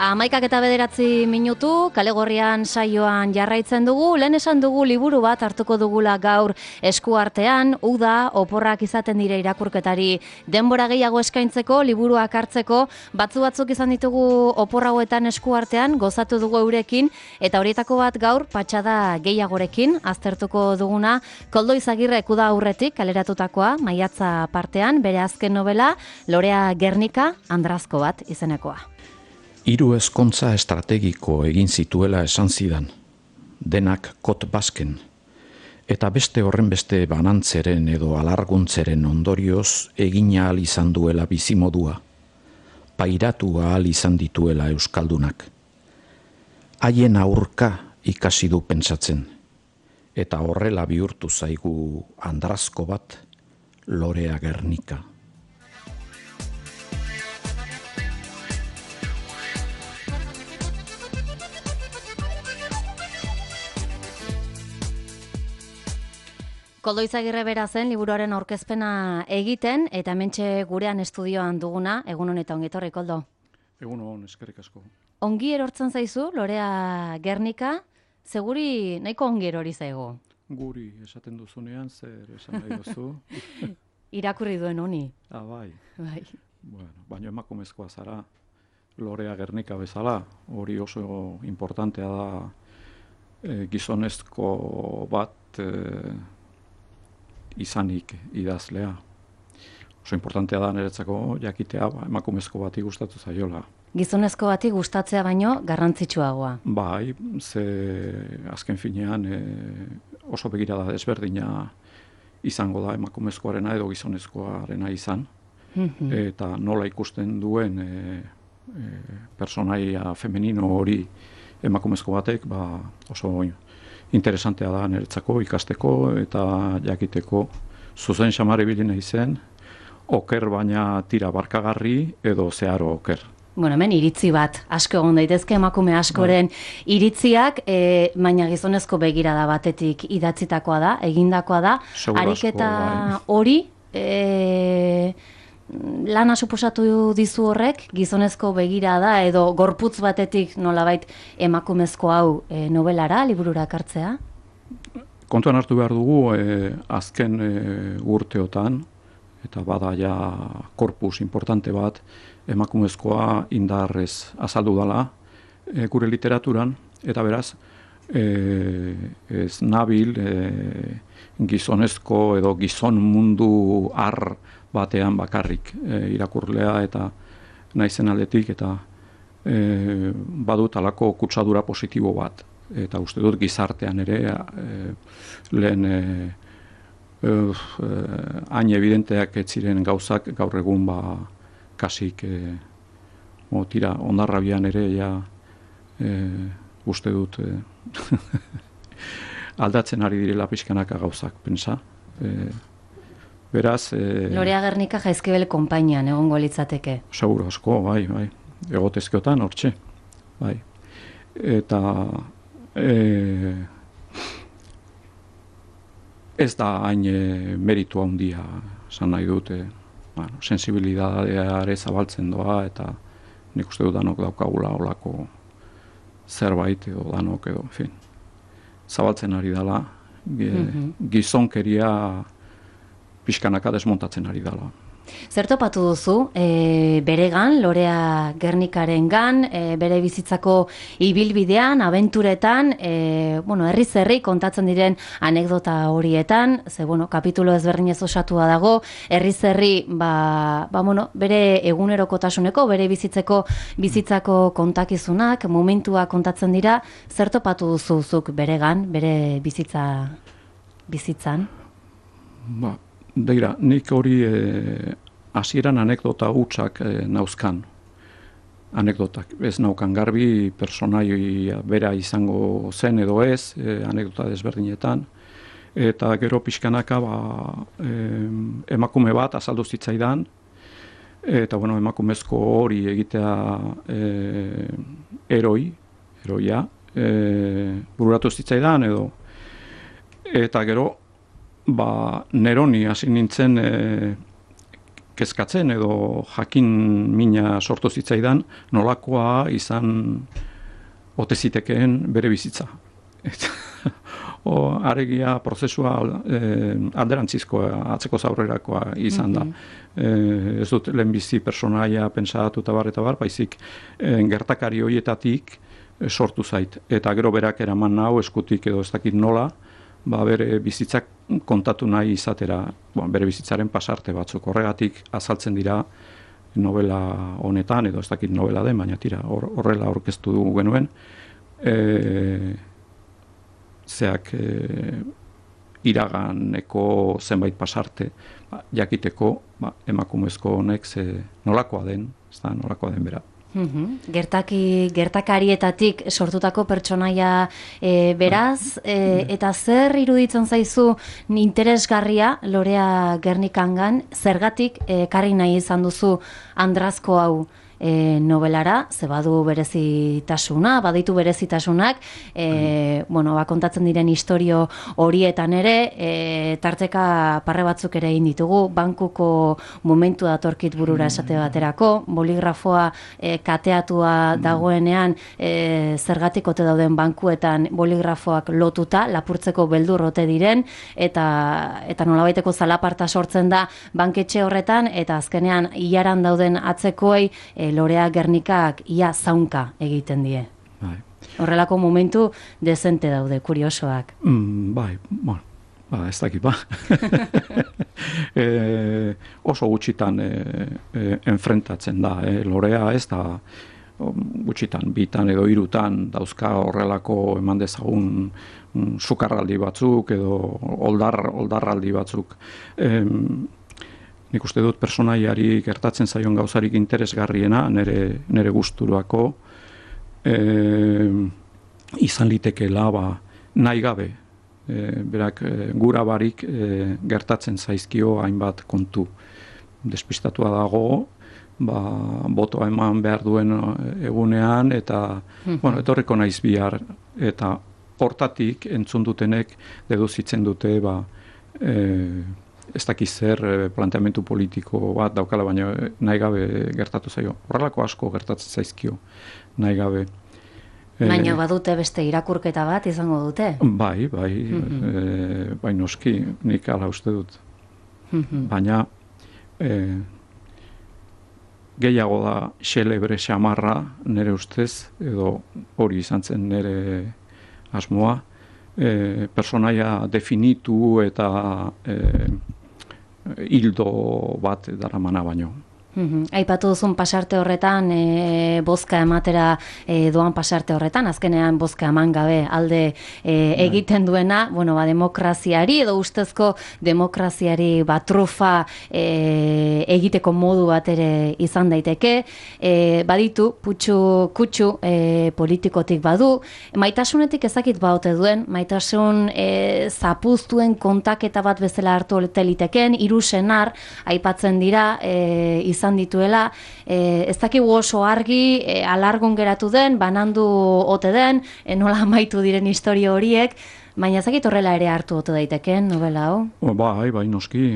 11:09 kale gorrian saioan jarraitzen dugu. Lehen esan dugu liburu bat hartuko dugula gaur eskuartean, uda, oporrak izaten dire irakurketari denbora gehiago eskaintzeko, liburuak hartzeko, batzuk izan ditugu opor hauetan eskuartean, gozatu dugu eurekin, eta horietako bat gaur patxada gehiagorekin aztertuko duguna, Koldo Izagirrek uda aurretik kaleratutakoa, maiatza partean, bere azken novela, Lorea Gernika, Andrazko bat izenekoa. 3 ezkontza estrategiko egin zituela esan zidan, denak kot basken, eta beste horrenbeste banantzeren edo alarguntzeren ondorioz egin ahal izan duela bizimodua, pairatu ahal izan dituela euskaldunak. Haien aurka ikasi du pentsatzen, eta horrela bihurtu zaigu Andrazko bat, Lorea Gernika. Koldo Izagirre bera zen liburuaren aurkezpena egiten, eta hementxe gurean estudioan duguna, egun honetan ongi etorri, Koldo. Egun hon, eskerrik asko. Ongi erortzen zaizu, Lorea Gernika, seguri nahiko ongi erori zaigu. Guri esaten duzunean, zer esan nahi duzu. Irakurri duen honi. Bai. Bueno, baina emakumezkoa zara, Lorea Gernika bezala, hori oso importantea da gizonezko bat izanik idazlea. Oso importantea da niretzako jakitea emakumezko bati gustatu zaiola. Gizonezko bati gustatzea baino garrantzitsuagoa. Bai, ze azken finean oso begirada desberdina izango da emakumezkoarena edo gizonezkoarena izan. Eta nola ikusten duen personaia femenino hori emakumezko batek, oso interesantea da niretzako ikasteko eta jakiteko zuzen xamar ibili nahi zen, oker baina tira barkagarri edo zeharo oker. Bueno, hemen iritzi bat, asko egon daitezke emakume askoren iritziak, baina gizonezko begirada batetik idatzitakoa da, egindakoa da, ariketa hori, lana suposatu dizu horrek, gizonezko begirada edo gorputz batetik nolabait emakumezko hau novelara, liburura ekartzea? Kontuan hartu behar dugu azken urteotan, eta bada ja korpus importante bat, emakumezkoa indarrez azaldu dela gure literaturan, eta beraz, ez nabil gizonezko edo gizon mundu ar batean bakarrik irakurlea eta naizen aldetik, eta badut alako kutsadura positibo bat. Eta uste dut gizartean ere lehen hain evidenteak ez ziren gauzak gaur egun kasik tira ondarrabian ere uste dut aldatzen ari direla pixkanaka gauzak, pensa. Beraz... Lorea Gernika Jaizkibel konpainian egongo litzateke. Seguro asko, bai. Egotezkeotan, hortxe. Bai. Eta... ez da hain meritu handia, esan nahi dute, sensibilidadeare zabaltzen doa, eta nik uste dut danok daukagula olako zerbait edo danok edo, en fin, zabaltzen ari dela, gizonkeria pixkanaka desmontatzen ari dela. Zer topatu duzu, beregan, Lorea Gernikarengan, bere bizitzako ibilbidean, abenturetan, herriz herri kontatzen diren anekdota horietan, ze, kapitulo ezberdinez osatua dago, herriz herri, bere egunerokotasuneko, bere bizitzako kontakizunak, momentua kontatzen dira, zer topatu duzuzuk beregan, bere bizitzan? Deira, nik hori hasieran anekdota hutsak nauzkan. Anekdotak. Ez naukan garbi, personaia bera izango zen edo ez, anekdota desberdinetan. Eta gero pixkanaka emakume bat azaldu zitzaidan, eta emakumezko hori egitea eroia, bururatu zitzaidan edo. Eta gero, neroni hasi nintzen kezkatzen edo jakin mina sortu zitzaidan nolakoa izan ote zitekeen bere bizitza. Aregia prozesua alderantzizkoa, atzeko zaurrerakoa izan da. Ez dut lehenbizi personaia pentsatu eta bar, baizik gertakari horietatik sortu zait. Eta gero berak eraman nau eskutik edo ez dakit nola, bere bizitzak kontatu nahi izatera, bere bizitzaren pasarte batzuk. Horregatik azaltzen dira novela honetan, edo ez dakit novela den, baina tira, horrela aurkeztu dugu genuen, iraganeko zenbait pasarte jakiteko emakumezko honek nolakoa den, ez da, nolakoa den bera. Gertakarietatik sortutako pertsonaia beraz, eta zer iruditzen zaizu interesgarria Lorea Gernikangan, zergatik ekarri nahi izan duzu Andrazko hau novelara, ze badu berezitasuna, baditu berezitasunak, kontatzen diren istorio horietan ere, tarteka parre batzuk ere egin ditugu, bankuko momentu datorkit burura esate baterako, boligrafoa kateatua dagoenean, zergatik ote dauden bankuetan boligrafoak lotuta, lapurtzeko beldur ote diren, eta nolabaiteko zalaparta sortzen da banketxe horretan, eta azkenean ilaran dauden atzekoei Lorea Gernikak ia zaunka egiten die. Horrelako momentu dezente daude, kuriosoak. Ez dakit, oso gutxitan enfrentatzen da. Lorea ez da gutxitan, bitan edo hirutan dauzka horrelako eman dezagun sukarraldi batzuk edo oldarraldi batzuk. Nik uste dut personaiari gertatzen zaion gauzarik interesgarriena, nere gusturako, izan litekeela nahi gabe. Berak gura barik gertatzen zaizkio hainbat kontu. Despistatua dago, botoa eman behar duen egunean, eta etorriko naiz bihar, eta hortatik entzun dutenek deduzitzen dute ez dakiz zer planteamentu politiko bat daukala, baina nahi gabe gertatu zaio. Horrelako asko gertatzen zaizkio nahi gabe. Baina badute beste irakurketa bat izango dute? Bai, noski, nik ala uste dut. Baina gehiago da xelebre xamarra nire ustez, edo hori izan zen nire asmoa, personaia definitu eta hildo bat daramana baino. Aipatu duzun pasarte horretan, bozka ematera doan pasarte horretan, azkenean bozka eman gabe alde egiten duena, demokraziari edo ustezko demokraziari trufa egiteko modu bat ere izan daiteke, baditu, kutsu politikotik badu, maitasunetik ezakit baute duen, maitasun zapuztuen kontaketa bat bezala hartu liteken, 3 senar aipatzen dira izan dituela, ez dakigu oso argi, alargun geratu den, banandu ote den, nola amaitu diren istorio horiek, baina ez dakit horrela ere hartu ote daiteken novela hau? Bai, noski,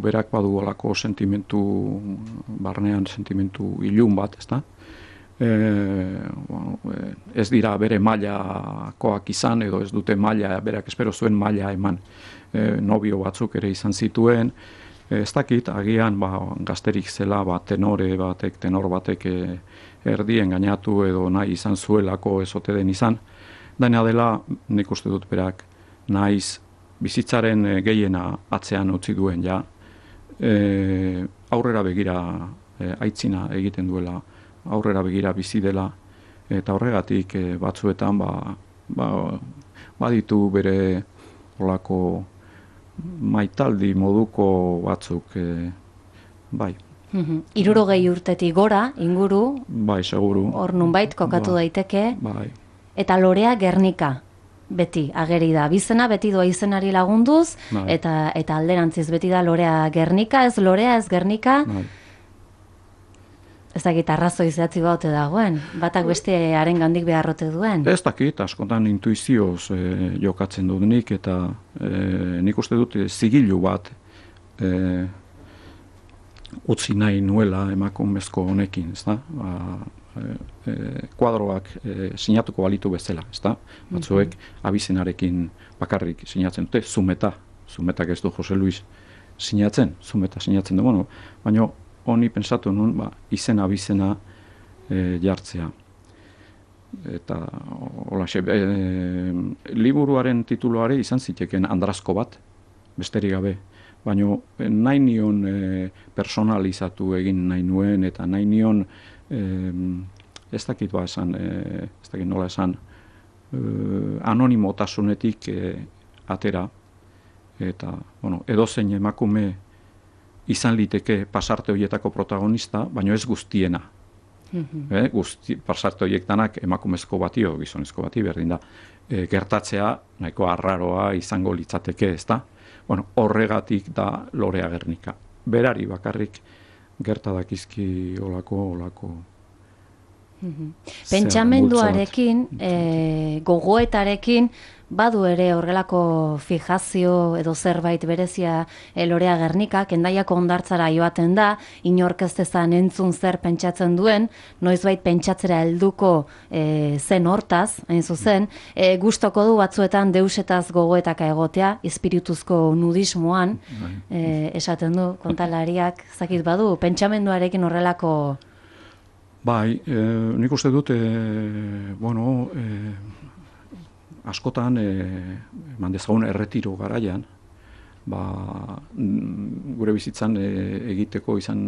berak badu olako sentimentu, barnean sentimentu ilun bat, ez da? Ez dira bere mailakoak izan, edo ez dute maila, berak espero zuen maila eman, nobio batzuk ere izan zituen, ez dakit, agian gazterik zela tenor batek erdien gainatu edo nahi izan zuelako ez ote den izan. Daina dela, nik uste dut berak, naiz bizitzaren gehiena atzean utzi duen ja, aurrera begira aitzina egiten duela, aurrera begira bizi dela, eta horregatik batzuetan baditu bere olako maitaldi moduko batzuk, bai. 60 urtetik gora, inguru, bai, seguru. Hor nunbait kokatu daiteke, bai. Eta Lorea Gernika beti ageri da. Bizena beti doa izenari lagunduz, bai. eta alderantziz beti da Lorea Gernika, ez Lorea, ez Gernika. Bai. Ez dakit arrazoi zehatzi baute dagoen, batak beste harengandik beharrote duen. Ez dakit, askotan intuizioz jokatzen dut nik, eta nik uste dut zigilu bat utzi nahi nuela emakumezko honekin, ezta? Kuadroak sinatuko balitu bezala, ezta? Batzuek abizenarekin bakarrik sinatzen dute, Zumetak ez du Jose Luis sinatzen, Zumeta sinatzen du, bueno, baina honi pensatu nun, izen abizena jartzea. Eta holaxe, liburuaren tituloare izan ziteken Andrazko bat, besterik gabe, baina nahi nion personalizatu egin nahi nuen, eta nahi nion ez dakit nola esan, anonimotasunetik atera, eta edozein emakume izan liteke pasarte horietako protagonista, baina ez guztiena. Pasarte horiek danak emakumezko bati o gizonezko bati berdin da. Gertatzea nahiko arraroa izango litzateke, ezta? Horregatik da Lorea Gernika. Berari bakarrik gerta dakizki olako pentsamenduarekin, gogoetarekin, badu ere horrelako fijazio edo zerbait berezia Lorea Gernikak, Hendaiako hondartzara joaten da, inork ez dezan entzun zer pentsatzen duen, noizbait pentsatzera helduko zen hortaz, hain zuzen, gustoko du batzuetan deusetaz gogoetaka egotea, espirituzko nudismoan, esaten du, kontalariak, zakit badu, pentsamenduarekin horrelako... Bai, nik uste dut, askotan, mandezagun erretiro garaian, gure bizitzan egiteko izan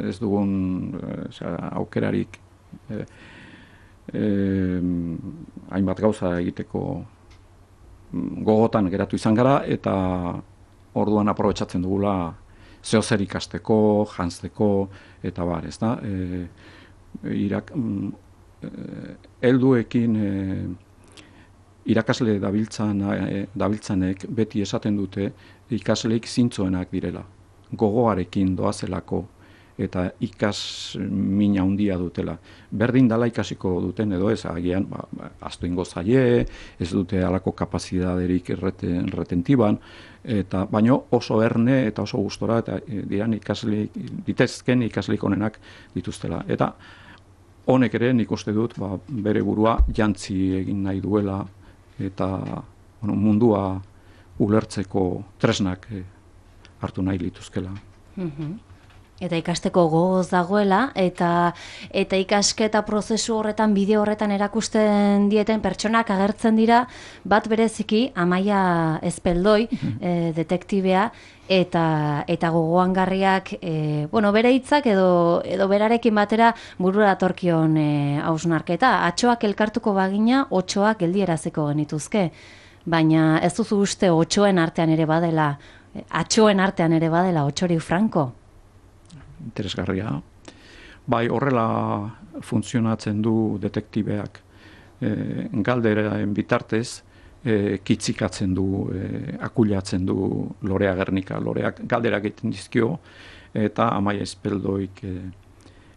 ez dugun aukerarik, hainbat gauza egiteko gogotan geratu izan gara, eta orduan aprobetxatzen dugula zeozer ikasteko, jantzeko, eta bar, ez da? Helduekin irakasle dabiltzanek beti esaten dute ikasleik zintzoenak direla. Gogoarekin doazelako eta min handia dutela. Berdin dala ikasiko duten edo ez, agian astu ingo zaie, ez dute halako kapazidaderik retentiban, baino oso erne eta oso gustora eta ditezken ikasleik onenak dituztela. Eta honek ere nik uste dut bere burua jantzi egin nahi duela eta mundua ulertzeko tresnak hartu nahi lituzkela. Eta ikasteko gogoz dagoela, eta ikasketa prozesu horretan, bideo horretan erakusten dieten pertsonak agertzen dira, bat bereziki, Amaia Ezpeldoi, detektibea, eta gogoangarriak, bere hitzak edo berarekin batera burura datorkion hausnarketa. Atxoak elkartuko bagina, otxoak geldieraziko genituzke. Baina ez duzu uste otxoen artean ere badela, atxoen artean ere badela, Otxori Franko? Interesgarria. Bai, horrela funtzionatzen du detektibeak. Galderaen bitartez, kitzikatzen du, akulatzen du Lorea Gernika. Loreak galderak egiten dizkio, eta Amaia Ezpeldoik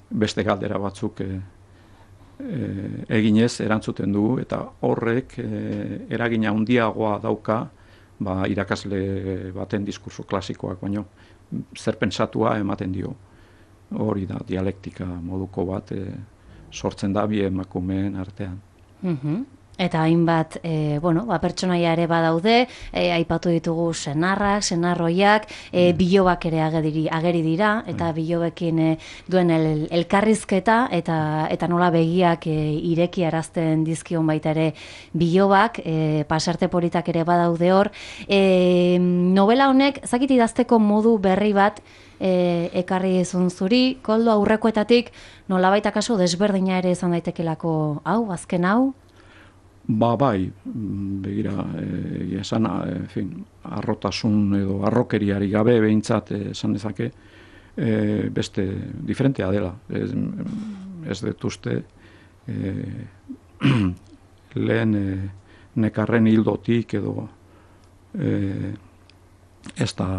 beste galdera batzuk eginez erantzuten du, eta horrek eragina handiagoa dauka irakasle baten diskurso klasikoak, baino zer pentsatua ematen dio. Hori da, dialektika moduko bat sortzen da bi emakumeen artean. Eta hainbat, pertsonaia ere badaude, aipatu ditugu senarrak, senarroiak, bilobak ere ageri dira, eta bilobekin duen elkarrizketa, eta nola begiak ireki arazten dizkion baita ere bilobak, pasarte politak ere badaude hor. Novela honek, zakit idazteko modu berri bat, ekarri izun zuri, Koldo, aurrekoetatik nolabait akaso desberdina ere izan daitekelako hau, azken hau? Bai, begira, esan, arrotasun edo arrokeriari gabe behintzat esan dezake, beste diferentea dela. Ez dut uste, lehen nekarren hildotik edo ez da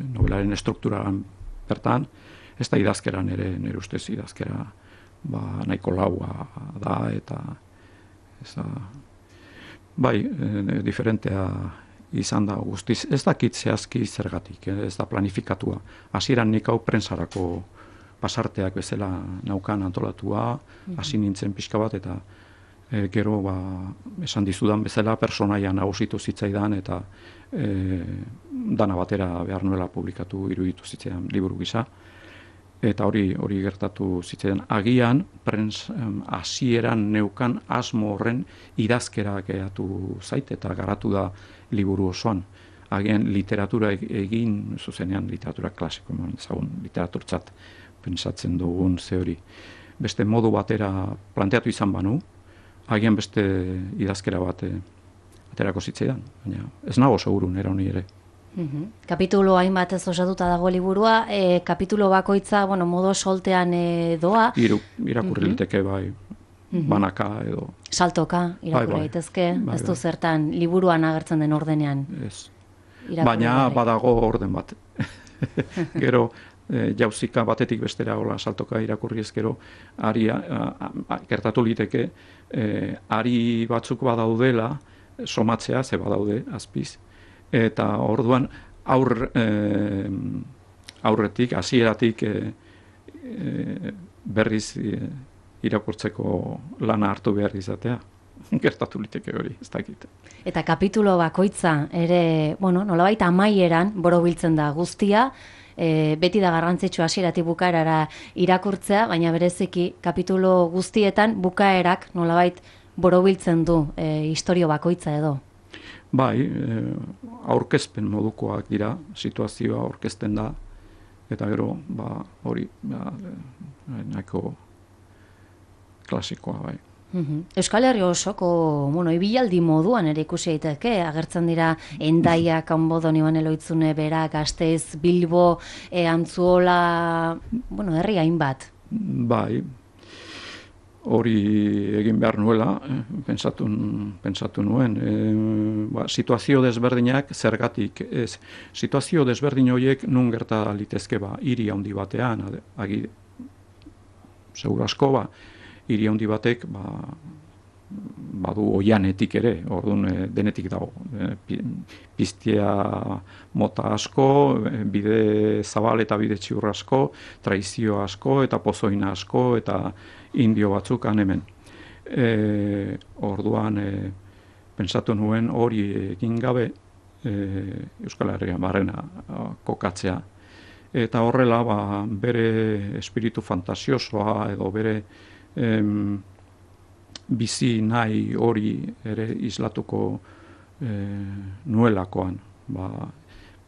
novelaren estrukturan bertan, ez da idazkeran ere, nire ustez idazkera nahiko laua da, eta bai, diferentea izan da guztiz. Ez dakit zehazki zergatik, ez da planifikatua. Hasieran nik hau prentsarako pasarteak bezala naukan antolatua, hasi nintzen pixka bat, eta gero esan dizudan bezala personaia nagusitu zitzaidan, eta dana batera behar nuela publikatu iruditu zitzaidan liburu gisa. Eta hori gertatu zitzaidan. Agian, hasieran neukan asmo horren idazkera geratu zait, eta garatu da liburu osoan. Agian literatura egin, zuzenean literatura klasiko, ezagun literaturtzat pentsatzen dugun ze hori. Beste modu batera planteatu izan banu, agian beste idazkera bat aterako zitzaidan, baina ez nago seguru nera honi ere. Kapitulo hainbat ez osatuta dago liburua, kapitulo bakoitza, modo soltean doa. Irakurri liteke bai, banaka edo. Saltoka, irakurri daitezke, ez du zertan liburuan agertzen den ordenean. Ez, baina badago orden bat. Gero, jauzika batetik bestera hola saltoka irakurri ezkero, gertatu liteke, ari batzuk badaudela, somatzea, ze badaude, azpiz, eta orduan aurretik, hasieratik berriz irakurtzeko lana hartu behar izatea. Gertatu liteke hori, ez dakit. Eta kapitulo bakoitza ere, nolabait amaieran borobiltzen da guztia, beti da garrantzitsua hasieratik bukaerara irakurtzea, baina bereziki kapitulo guztietan bukaerak nolabait borobiltzen du istorio bakoitza edo. Bai, aurkezpen modukoak dira, situazioa aurkezten da, eta gero, hori, nahiko klasikoa, bai. Euskal Herri osoko, ibilaldi moduan ere ikusi daiteke, agertzen dira Hendaia, Kanbodo, Ibane Lohitzune, Bera, Gasteiz, Bilbo, Antzuola, herri hainbat. Bai, hori egin behar nuela, pentsatu nuen. Situazio desberdinak zergatik ez. Situazio desberdin horiek nun gerta litezke hiri handi batean, segur asko hiri handi batek badu oianetik ere, orduan denetik dago. Piztia mota asko, bide zabal eta bide txiur asko, traizio asko eta pozoina asko eta indio batzuk hemen. Orduan pentsatu nuen hori egin gabe Euskal Herrian barrena kokatzea. Eta horrela bere espiritu fantasiosoa edo bere bizi nahi hori ere islatuko nuelakoan,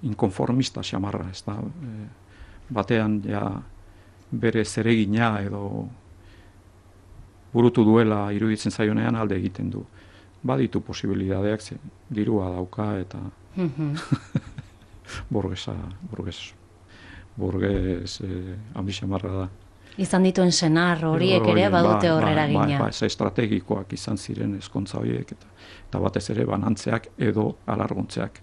inkonformista xamarra, ez da, batean bere zeregina edo burutu duela iruditzen zaionean alde egiten du. Baditu posibilidadeak, dirua dauka eta burges handi xamarra da. Izan dituen senar horiek ere badute horrera gina. Estrategikoak izan ziren ezkontza horiek eta batez ere banantzeak edo alarguntzeak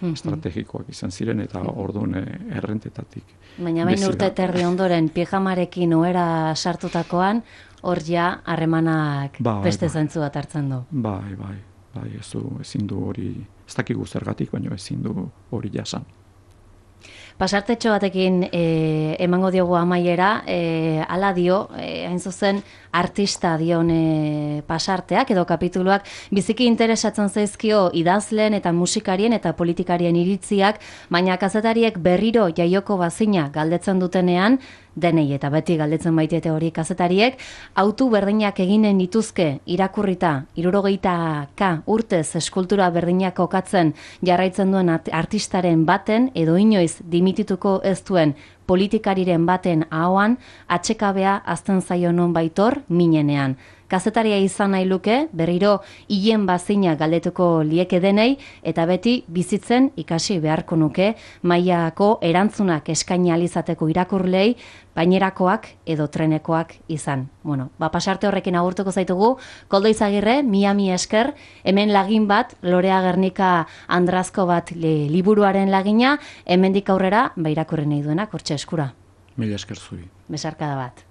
estrategikoak izan ziren eta orduan errentetatik. Baina bain urte terdi ondoren pijamarekin ohera sartutakoan hor harremanak beste zentzu bat hartzen du. Bai, ezin du hori, ez dakigu zergatik, baina ezin du hori jasan. Pasartetxo batekin emango diogu amaiera, hala dio, hain zuzen artista dion pasarteak edo kapituluak biziki interesatzen zaizkio idazleen eta musikarien eta politikarien iritziak, baina kazetariek berriro jaioko bazina galdetzen dutenean, denei eta beti galdetzen baitete hori kazetariek, autu berdinak eginen dituzke irakurrita 60 urtez eskultura berdinak kokatzen jarraitzen duen artistaren baten edo inoiz dimitituko ez duen politikariren baten ahoan atxekabea azten zaio non baitor minenean. Kazetaria izan nahi luke, berriro hien bazina galdetuko lieke denei, eta beti bizitzen ikasi beharko nuke, mailako erantzunak eskaini alizateko irakurlei, bainerakoak edo trenekoak izan. Pasarte horrekin agurtuko zaitugu, Koldo Izagirre, Miami esker, hemen lagin bat, Lorea Gernika Andrazko bat liburuaren lagina, hemendik aurrera, irakurri nahi duenak, hortxe eskura. Mila esker zuri. Besarkada bat.